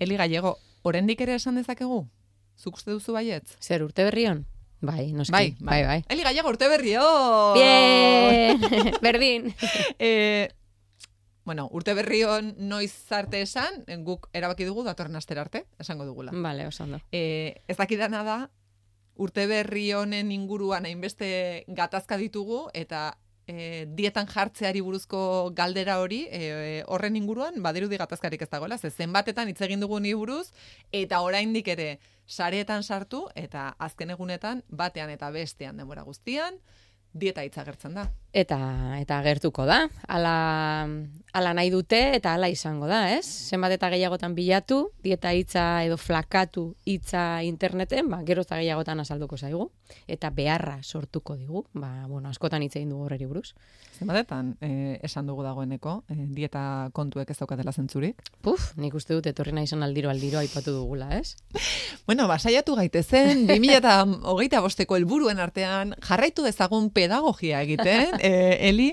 Eli Gallego, oraindik ere esan dezakegu? Zuk uste duzu baietz? Zer urte berrion? Bai, noski. Bai. Eli Gallego, urte berrion! Bien! Berdin! Bueno, urte berrion noiz arte esan, guk erabaki dugu datorren astera arte, esango dugula. Vale, oso ondo. Ez dakidana da, urte berri honen inguruan hainbeste gatazka ditugu, eta dietan jartzeari buruzko galdera hori, horren inguruan, badirudi gatazkarik ez dagoela, zenbatetan hitz egin dugu ni buruz, eta oraindik ere sareetan sartu, eta azken egunetan, batean eta bestean denbora guztian, dieta hitza agertzen da. Eta agertuko da. Ala nahi dute eta ala izango da, ez? Zenbat eta gehiagotan bilatu, dieta hitza edo flakatu hitza interneten, gero eta gehiagotan azalduko zaigu. Eta beharra sortuko digu. Askotan hitz egin dugu horreri buruz. Zenbatetan esan dugu dagoeneko, dieta kontuek ez daukatela zentzurik? Nik uste dut etorri nahi izan aldiro aipatu dugula, ez? Bueno, saiatu gaitezen, 2025ko helburuen artean jarraitu dezagun pedagogia egiten, Eli,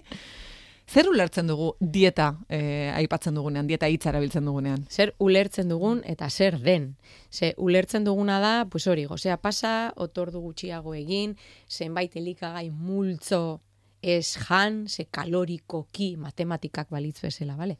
zer ulertzen dugu dieta aipatzen dugunean, dieta hitza erabiltzen dugunean? Zer ulertzen dugun eta zer den. Ulertzen duguna da, hori, gozea pasa, otordu gutxiago egin, zenbait elikagai multzo ez jan, kalorikoki, matematikak balitz bezala, bale?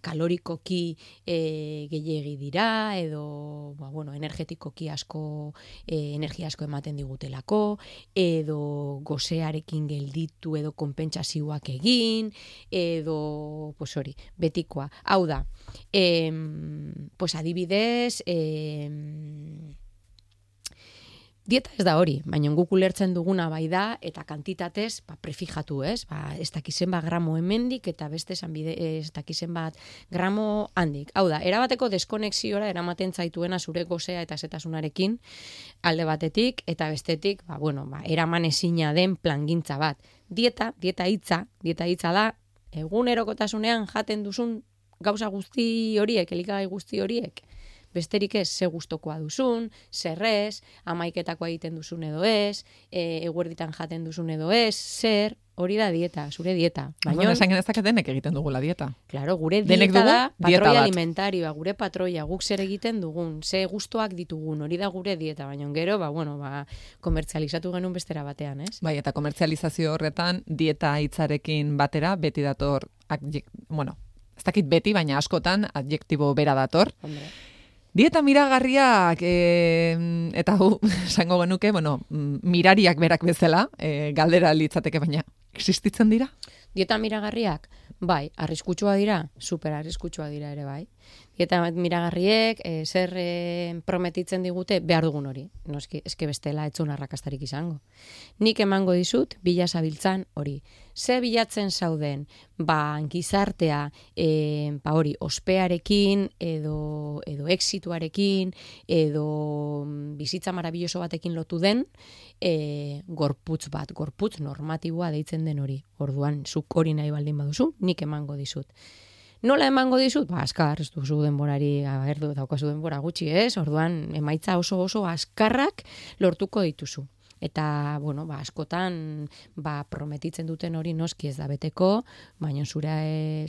Kalorikoki gehiegi dira, edo, energetikoki asko, energia asko ematen digutelako, edo gozearekin gelditu edo konpentsazioak egin, edo, hori, betikoa. Hau da, adibidez, dieta ez da hori, baina guk ulertzen duguna bai da, eta kantitatez, prefijatu, ez? Ez dakizen gramo hemendik, eta beste ez dakizen gramo handik. Hau da, erabateko deskonexiora eramaten zaituena zure gozea eta zetasunarekin, alde batetik, eta bestetik, eraman ezina den plangintza bat. Dieta hitza da, egunerokotasunean jaten duzun gauza guzti horiek, elikagai guzti horiek. Besterik ez, ze gustokoa duzun, zerrez, amaiketakoa egiten duzun edo ez, eguerditan jaten duzun edo ez, zer, hori da dieta, zure dieta. Baina esan genezak denek egiten dugula dieta. Claro, gure dieta da patroia alimentarioa, gure patroia, guk zer egiten dugun, ze gustoak ditugun, hori da gure dieta, baina gero, komertzializatu genuen bestera batean, ez? Bai, eta komertzializazio horretan, dieta hitzarekin batera, beti dator, ez dakit beti, baina askotan, adjektibo bera dator. Hombre. Dieta miragarriak, eta esango genuke, mirariak berak bezala, galdera litzateke, baina existitzen dira? Dieta miragarriak? Bai, arriskutsua dira, super arriskutsua dira ere bai. Dieta miragarriek, zer prometitzen digute, behar dugun hori. Noski, eske bestela etzun arrakastarik izango. Nik emango dizut, bila zabiltzan hori. Ze bilatzen zauden, gizartea, hori, ospearekin, edo exituarekin, edo bizitza marabilloso batekin lotu den, gorputz normatiboa deitzen den hori. Orduan, zuk hori nahi baldin baduzu, nik emango dizut. Nola emango dizut? Azkar, ez duzu denborari, daukazu denbora gutxi, ez? Orduan, emaitza oso askarrak lortuko dituzu. Eta, askotan, prometitzen duten hori noski ez da beteko, baina zure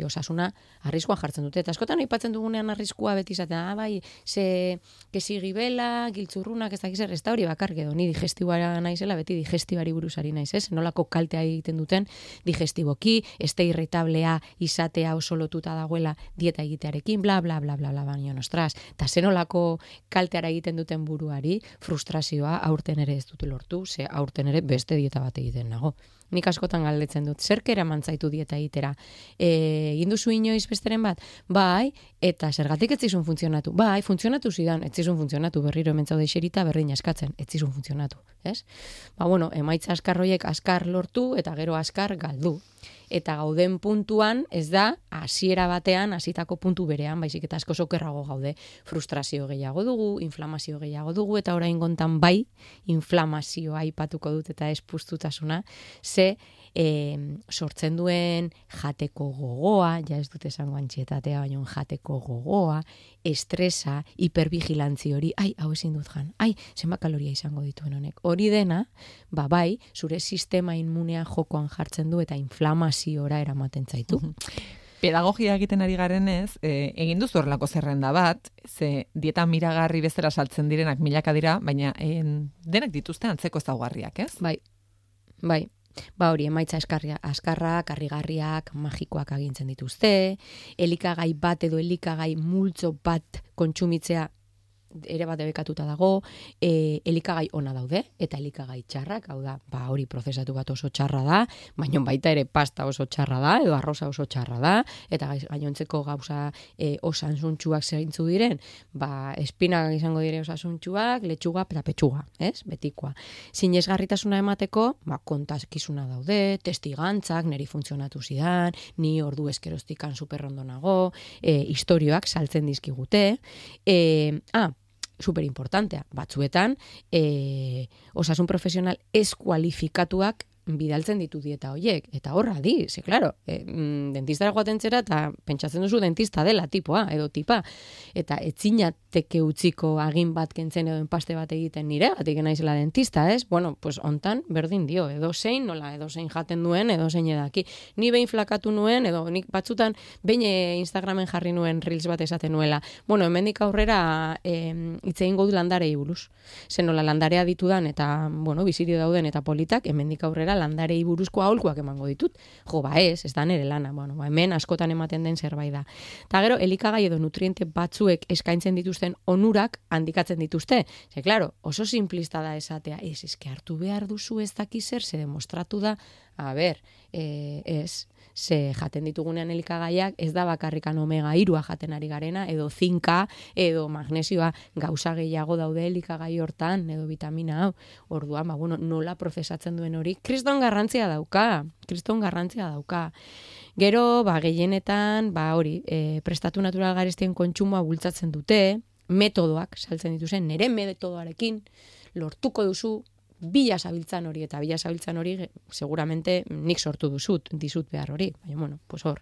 osasuna arriskuan jartzen dute. Eta askotan aipatzen dugunean arriskua beti izaten, ze kesigibela, giltzurrunak, ez dakiz ez da hori bakar, edo ni digestibara naizela, beti digestibari buruzari naiz, ez? Nolako kaltea egiten duten digestiboki, este irritablea izatea oso lotuta dagoela dieta egitearekin, bla, bla, bla, bla, bla, baina nostraz. Eta zenolako kalteara egiten duten buruari, frustrazioa aurten ere ez dute lortu, ze aurten ere beste dieta bat egiten nago. Nik askotan galdetzen dut, zerk eraman zaitu dieta egitera? Egin duzu inoiz besteren bat? Bai, eta zergatik ez zizun funtzionatu? Bai, funtzionatu zidan, ez zizun funtzionatu, berriro hemen zaude xerita, berdin askatzen, ez zizun funtzionatu, ez? Emaitza askarroiek askar lortu, eta gero askar galdu. Eta gauden puntuan, ez da, hasiera batean, hasitako puntu berean, baizik eta asko sokerrago gaude. Frustrazio gehiago dugu, inflamazio gehiago dugu, eta orain gontan bai, inflamazioa aipatuko dut eta espustutasuna, ze sortzen duen jateko gogoa, ja ez dut esango antxietatea, baina jateko gogoa, estresa, hipervigilantzi hori, hau ezin dut jan, zenbat kaloria izango dituen honek. Hori dena, bai, zure sistema inmunea jokoan jartzen du eta inflamaziora eramaten zaitu. pedagogia egiten ari garenez, egin duzu horrelako zerrenda bat, ze dieta miragarri bezala saltzen direnak milaka dira, baina denak dituzte antzeko ezaugarriak, ez? Bai. Ba hori, emaitza askarrak, harrigarriak, magikoak agintzen dituzte, elikagai bat edo elikagai multzo bat kontsumitzea ere bat debekatuta dago, elikagai ona daude, eta elikagai txarrak, hau da, ba hori prozesatu bat oso txarra da, baina baita ere pasta oso txarra da, edo arroza oso txarra da, eta gainontzeko gauza osasuntsuak zeintzu diren, ba espinak izango dire osasuntsuak, letxuga eta petxuga, ez? Betikoa. Sinesgarritasuna emateko, ba kontakizuna daude, testigantzak, neri funtzionatu zidan, ni ordu eskerostikan superrondo nago, istorioak saltzen dizkigute, super importantea, batzuetan osasun profesional eskualifikatuak bidaltzen ditu dieta hoiek, eta horra di, ze claro, dentistara joaten zera eta pentsatzen duzu dentista dela tipoa edo tipa, eta etzinateke utziko agin bat kentzen edo enpaste bat egiten nire, gatik naizela dentista, ez? Bueno, pues hontan berdin dio, edozein jaten duen, edozein edaki. Ni behin flakatu nuen, edo nik batzutan behin Instagramen jarri nuen reels bat esaten nuela. Bueno, hemendik aurrera hitz egingo du landarei buruz. Zen nola landarea ditudan eta, bueno, bizirio dauden eta politak, hemendik aurrera landarei buruzko aholkuak emango ditut. Jo, ba ez da nere lana. Bueno, ba hemen askotan ematen den zerbait da. Ta gero elikagai edo nutriente batzuek eskaintzen dituzten onurak handikatzen dituzte. Ze claro, oso simplista da esatea, eske hartu behar duzu ez daki zer, ze demostratu da, ze jaten ditugunean elikagaiak ez da bakarrikan omega 3 jaten ari garena, edo zinka, edo magnesioa, gauza gehiago daude elikagai hortan, edo vitamina hau. Orduan, ba, bueno, nola prozesatzen duen hori, kriston garrantzia dauka. Gero, ba, gehienetan, ba, hori, prestatu natural garestien kontsumoa bultzatzen dute, metodoak saltzen dituzen, nire metodoarekin lortuko duzu, bila zabiltzan hori, eta bila zabiltzan hori seguramente nik sortu dizut behar hori, baina, bueno, pues hor.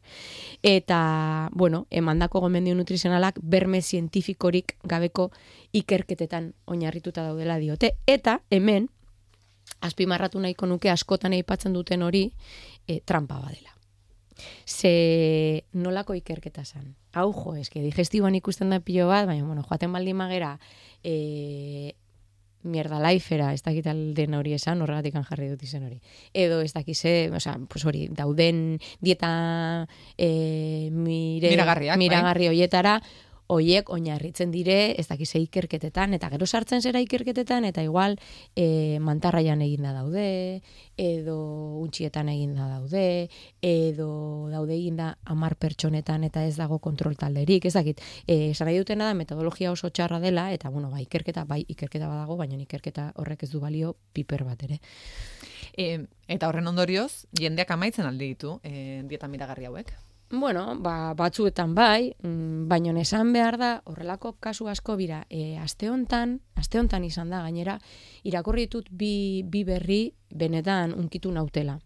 Eta, bueno, emandako gomendio nutrizionalak berme zientifikorik gabeko ikerketetan oinarrituta daudela diote, eta hemen, azpimarratu nahiko nuke askotan aipatzen duten hori, trampa badela. Ze nolako ikerketa zan? Hau jo, eske digestiboan ikusten da pilo bat, baina, bueno, joaten baldin magera, mierda lifera, ez dakit alden hori esan, horregatik jarri dut izen hori. Edo ez dakize, pues hori, dauden dieta miragarri hoietara, hoiek oinarritzen dire, ez dakize ikerketetan, eta gero sartzen zera ikerketetan, eta igual mantarraian eginda daude, edo untxietan eginda daude, edo daude eginda 10 pertsonetan eta ez dago kontrol talderik, ez dakit. Esan nahi dutena da metodologia oso txarra dela, eta bueno, ikerketa badago, baina ikerketa horrek ez du balio piper bat ere. Eta horren ondorioz, jendeak amaitzen aldi ditu dieta miragarri hauek? Bueno, batzuetan bai, baina esan behar da, horrelako kasu asko bira, aste hontan izan da, gainera, irakurri ditut bi berri benetan unkitu nautela.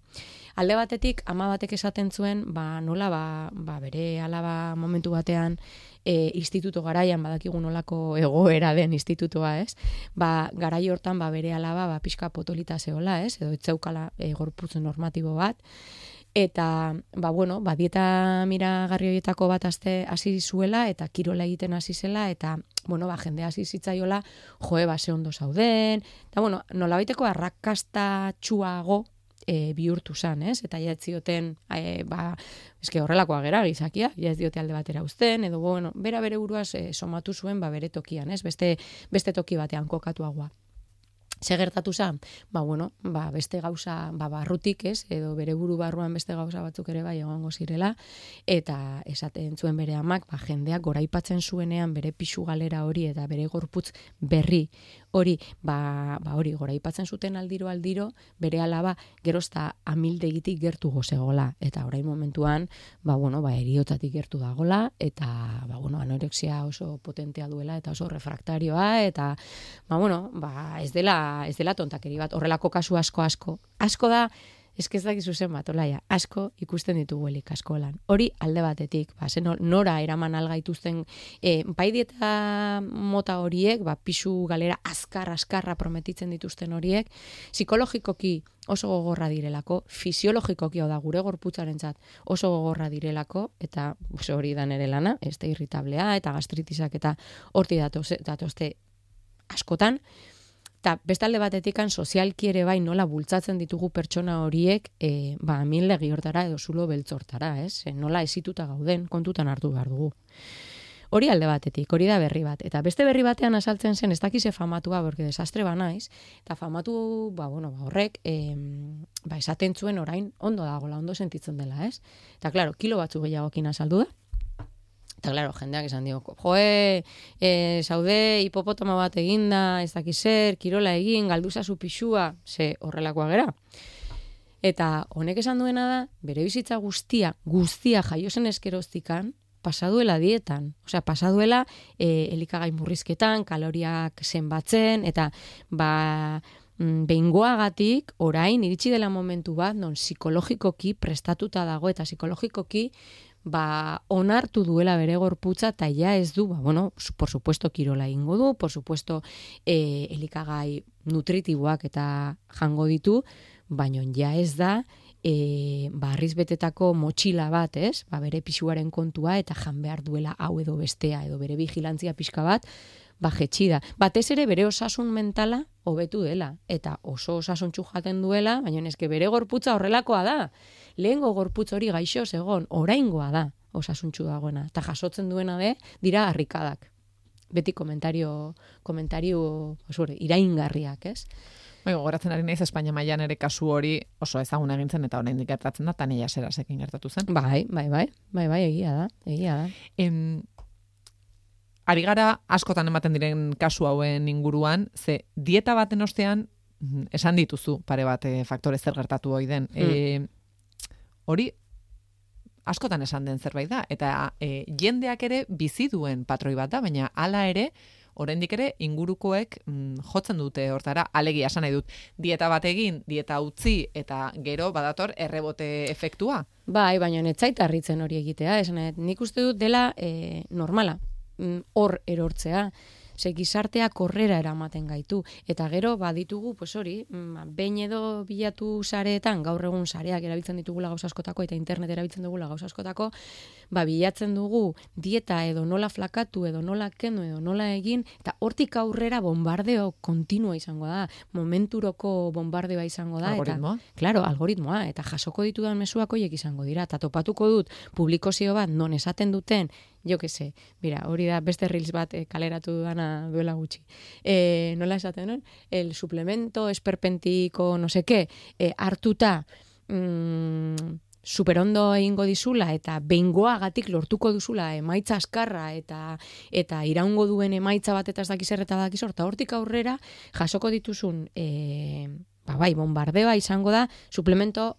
Alde batetik, ama batek esaten zuen, nola bere alaba momentu batean instituto garaian, badakigu nolako egoera den institutoa, ez? Garai hortan, bere alaba, pixka potolita zehola, ez? Edo etzeukala gorputz normatibo bat. Eta, dieta miragarri horietako bat hasi zuela, eta kirola egiten hasi zela, eta, jende hasi zitzaiola, ze ondo zauden, eta, nolabaiteko arrakastatsuago bihurtu zan, ez? Eta jaetzioten, eske horrelakoa gera gizakia, jaez diote alde batera uzten, edo, bere buruaz somatu zuen, bere tokian, ez? Beste toki batean kokatuagoa. Ze gertatu zen? Beste gauza, barrutik, ez? Edo bere buru barruan beste gauza batzuk ere bai egongo zirela, eta esaten zuen bere amak, jendeak goraipatzen zuenean bere pixu galera hori eta bere gorputz berri hori, hori goraipatzen zuten aldiro, bere alaba gerozta amildegitik gertu gozegola, eta orain momentuan, eriotzatik gertu dagola, eta, anorexia oso potentea duela, eta oso refraktarioa, eta, ez dela tontakeri bat, horrelako kasu asko da, ez dakizu zen bat, olaia, asko ikusten ditugu elik askolan. Hori alde batetik, nora eraman algaituzten, bai dieta mota horiek, pixu galera azkarra prometitzen dituzten horiek, psikologikoki oso gogorra direlako, fisiologikoki hau da gure gorputzarentzat oso gogorra direlako, eta hori da nere lana, este irritablea eta gastritisak eta horti datozte askotan, eta bestalde batetikan sozialki ere bai nola bultzatzen ditugu pertsona horiek amildegi hortara edo zulo beltzortara, ez? Nola esituta gauden kontutan hartu behar dugu. Hori alde batetik, hori da berri bat. Eta beste berri batean azaltzen zen, ez dakize famatua, porque desastre banaiz, eta famatu, horrek, esaten zuen orain ondo dagoela, ondo sentitzen dela, ez? Eta, klaro, kilo batzu gehiagokin azaldu da. Eta, klaro, jendeak esan dio, zaude hipopotama bat eginda, ez dakizer, kirola egin, galduzazu pixua, ze horrelakoa gera. Eta honek esan duena da, bere bizitza guztia jaiozen eskeroztikan, pasaduela dietan, pasaduela elikagai murrizketan, kaloriak zenbatzen, eta behingoagatik orain iritsi dela momentu bat, non psikologikoki prestatuta dago, eta psikologikoki onartu duela bere gorputza, eta ja ez du, por supuesto kirola ingo du, por supuesto elikagai nutritiboak eta jango ditu, baina ja ez da, harriz betetako motxila bat, ez? Bere pisuaren kontua eta jan behar duela hau edo bestea, edo bere vigilantzia pixka bat, jetxi da. Batez ere bere osasun mentala hobetu dela, eta oso osasuntxu jaten duela, baina eske bere gorputza horrelakoa da. Lehengo gorputz hori gaixo zegon, oraingoa da osasuntxu dagoena, eta jasotzen duena dira harrikadak. Beti komentario iraingarriak, ez? Gogoratzen ari naiz Espainia mailan ere kasu hori oso ezaguna egin zen eta oraindik gertatzen da, Tania Serasekin gertatu zen. Bai, egia da. Ari gara askotan ematen diren kasu hauen inguruan, ze dieta baten ostean esan dituzu pare bat faktore zer gertatu ohi den. Hori askotan esan den zerbait da, eta jendeak ere bizi duen patroi bat da, baina hala ere oraindik ere ingurukoek jotzen dute hortara, alegia esan nahi dut, dieta bat egin, dieta utzi, eta gero badator errebote efektua. Bai, baina ez zait harritzen hori egitea, nik uste dut dela normala, hor erortzea, ze gizarteak horrera eramaten gaitu. Eta gero, ditugu, behin edo bilatu sareetan, gaur egun sareak erabiltzen ditugula gauza askotako, eta internet erabiltzen dugula gauza askotako, bilatzen dugu dieta edo nola flakatu, edo nola kendu, edo nola egin, eta hortik aurrera bombardeo kontinua izango da, momenturoko bombardeoa izango da. Algoritmoa? Claro, algoritmoa, eta jasoko ditudan mezuak horiek izango dira, eta topatuko dut publikozio bat non esaten duten, jo que se, hori da beste reels bat kaleratu dudana duela gutxi. Nola esaten non? El suplemento esperpentiko no sé qué, hartuta superondo egingo dizula eta behingoagatik lortuko duzula emaitza askarra eta iraungo duen emaitza bat eta ez dakizer eta dakizor, eta hortik aurrera jasoko dituzun bombardeoa izango da suplemento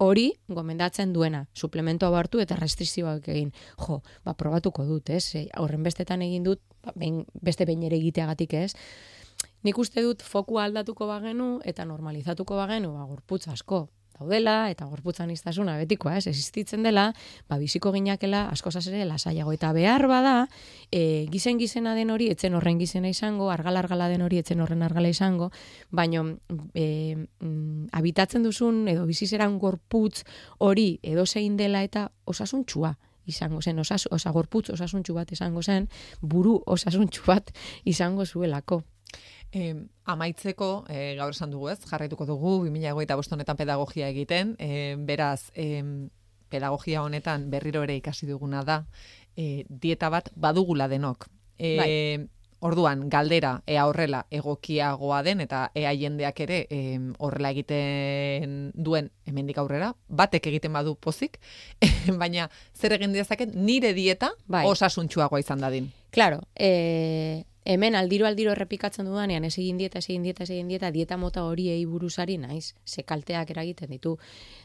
hori gomendatzen duena, suplemento hartu eta restrikzioak egin. Probatuko dut, ez? Horren bestetan egin dut, beste behin ere egiteagatik, ez? Nik uste dut fokua aldatuko bagenu eta normalizatuko bagenu, gorputz asko daudela eta gorputzan iztasuna betikoa, ez? Existitzen dela, biziko ginakela askozaz ere lasaiago. Eta behar bada, gizena den hori, etzen horren gizena izango, argala den hori, etzen horren argala izango, baino habitatzen duzun edo bizizeran gorputz hori edo zein dela eta osasuntxua izango zen, gorputz osasuntxu bat izango zen, buru osasuntxu bat izango zuelako. Amaitzeko, gaur esan dugu ez, jarraituko dugu 2025 honetan pedagogia egiten, beraz, pedagogia honetan berriro ere ikasi duguna da, dieta bat badugula denok. Orduan, galdera, ea horrela egokiagoa den, eta ea jendeak ere horrela egiten duen hemendik aurrera, batek egiten badu pozik, baina zer egin dezaket nire dieta osasuntsuagoa izan dadin. Claro, hemen aldiro errepikatzen dudanean, ez egin dieta mota horiei buruzari naiz, ze kalteak eragiten ditu.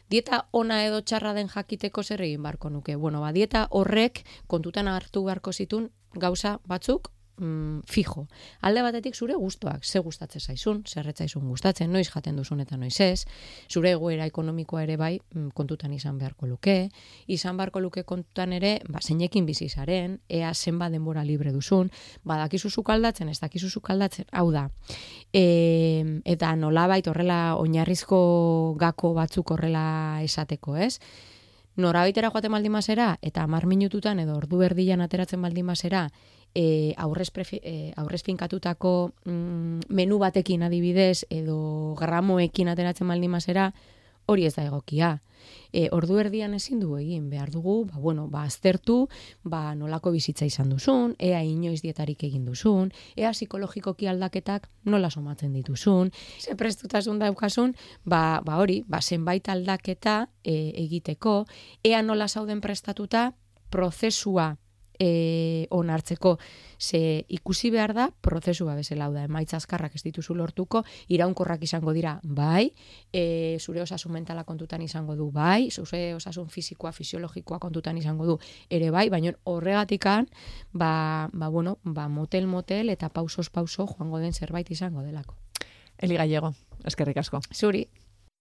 Dieta ona edo txarra den jakiteko zer egin barko nuke. Dieta horrek kontutan hartu beharko zitun gauza batzuk, fijo. Alde batetik zure gustoak, ze gustatzen zaizun, zer ez zaizun gustatzen, noiz jaten duzun eta noiz ez, zure egoera ekonomikoa ere bai kontutan izan beharko luke, kontutan ere, zeinekin bizi zaren, ea zenbat denbora libre duzun, badakizu zuk aldatzen, ez dakizu zuk aldatzen, hau da. Eta nolabait horrela oinarrizko gako batzuk horrela esateko, ez? Norabaitera joaten baldin mazera, eta 10 minututan edo ordu erdian ateratzen baldin mazera, aurrez finkatutako menu batekin adibidez, edo gramoekin ateratzen baldin mazera, hori ez da egokia. Ordu erdian ezin dugu egin, behar dugu, aztertu, nolako bizitza izan duzun, ea inoiz dietarik egin duzun, ea psikologikoki aldaketak nola somatzen dituzun, ze prestutasun daukasun, zenbait aldaketa egiteko, ea nola zauden prestatuta prozesua onartzeko, ze ikusi behar da prozesua bezala, da emaitza azkarrak ez dituzu lortuko, iraunkorrak izango dira bai, zure osasun mentala kontutan izango du bai, zure osasun fisikoa, fisiologikoa kontutan izango du ere bai, baina horregatikan motel eta pausos pauso joango den zerbait izango delako. Eli Gallego, eskerrik asko. Zuri.